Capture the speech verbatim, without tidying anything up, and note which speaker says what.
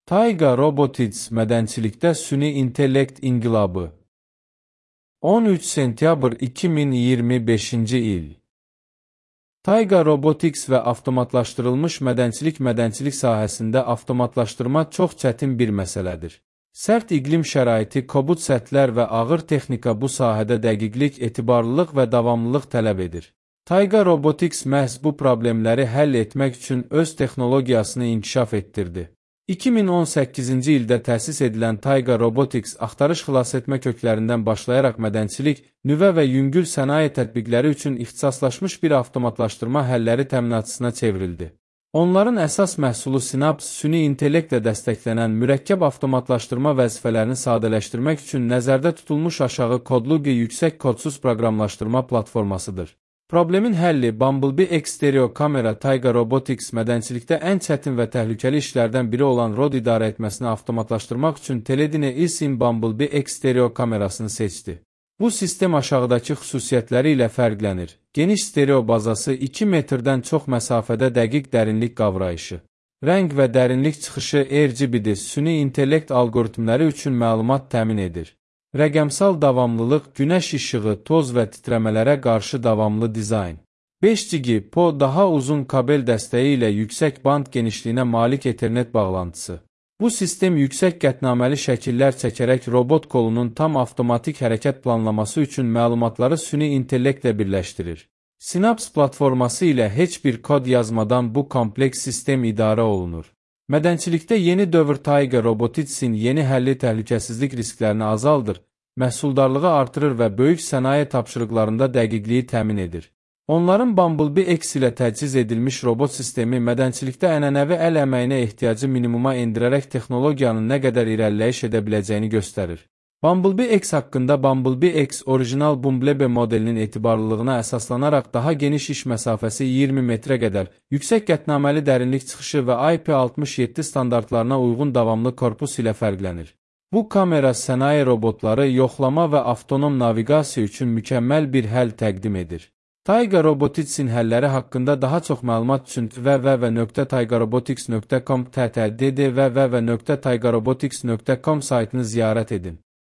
Speaker 1: Tayga Robotics mədənçilikdə süni intellekt inqilabı. on üç sentyabr iki min iyirmi beşinci il. Tayga Robotics və avtomatlaşdırılmış mədənçilik mədənçilik sahəsində avtomatlaşdırma çox çətin bir məsələdir. Sərt iqlim şəraiti, kobud səthlər və ağır texnika bu sahədə dəqiqlik, etibarlılıq və davamlılıq tələb edir. Tayga Robotics məhz bu problemləri həll etmək üçün öz texnologiyasını inkişaf etdirdi. iki min on səkkizinci ildə təsis edilən Tayga Robotics axtarış xilasetmə köklərindən başlayaraq mədənçilik, nüvə və yüngül sənaye tətbiqləri üçün ixtisaslaşmış bir avtomatlaşdırma həlləri təminatçısına çevrildi. Onların əsas məhsulu Synapse, süni intellektlə dəstəklənən mürəkkəb avtomatlaşdırma vəzifələrini sadələşdirmək üçün nəzərdə tutulmuş aşağı kodlu yüksək kodsuz proqramlaşdırma platformasıdır. Problemin həlli Bumblebee X stereo kamera. Tayga Robotics mədənçilikdə ən çətin və təhlükəli işlərdən biri olan ROD idarə etməsini avtomatlaşdırmaq üçün Teledine ISIM Bumblebee X stereo kamerasını seçdi. Bu sistem aşağıdakı xüsusiyyətləri ilə fərqlənir. Geniş stereo bazası, iki metrdən çox məsafədə dəqiq dərinlik qavrayışı, rəng və dərinlik çıxışı R G B-dir, süni intellekt alqoritmləri üçün məlumat təmin edir. Rəqəmsal davamlılıq, günəş işığı, toz və titrəmələrə qarşı davamlı dizayn. beş G B P O daha uzun kabel dəstəyi ilə yüksək band genişliyinə malik Ethernet bağlantısı. Bu sistem yüksək qətnaməli şəkillər çəkərək robot kolunun tam avtomatik hərəkət planlaması üçün məlumatları süni intellektlə birləşdirir. Synapse platforması ilə heç bir kod yazmadan bu kompleks sistem idarə olunur. Mədənçilikdə yeni dövr Tayga Robotics'in yeni həlli təhlükəsizlik risklərini azaldır, məhsuldarlığı artırır və böyük sənaye tapşırıqlarında dəqiqliyi təmin edir. Onların Bumblebee X ilə təchiz edilmiş robot sistemi mədənçilikdə ənənəvi əl əməyinə ehtiyacı minimuma endirərək texnologiyanın nə qədər irəliləyiş edə biləcəyini göstərir. Bumblebee X haqqında Bumblebee X orijinal Bumblebee modelinin etibarlılığına əsaslanaraq daha geniş iş məsafəsi iyirmi metrə qədər, yüksək qətnaməli dərinlik çıxışı və I P altmış yeddi standartlarına uyğun davamlı korpus ilə fərqlənir. Bu kamera sənaye robotları yoxlama və avtonom naviqasiya üçün mükəmməl bir həll təqdim edir. Tayga Robotics'in həlləri haqqında daha çox məlumat üçün www nöqtə tayga robotics nöqtə com, t t d d www nöqtə tayga robotics nöqtə com saytını ziyarət edin.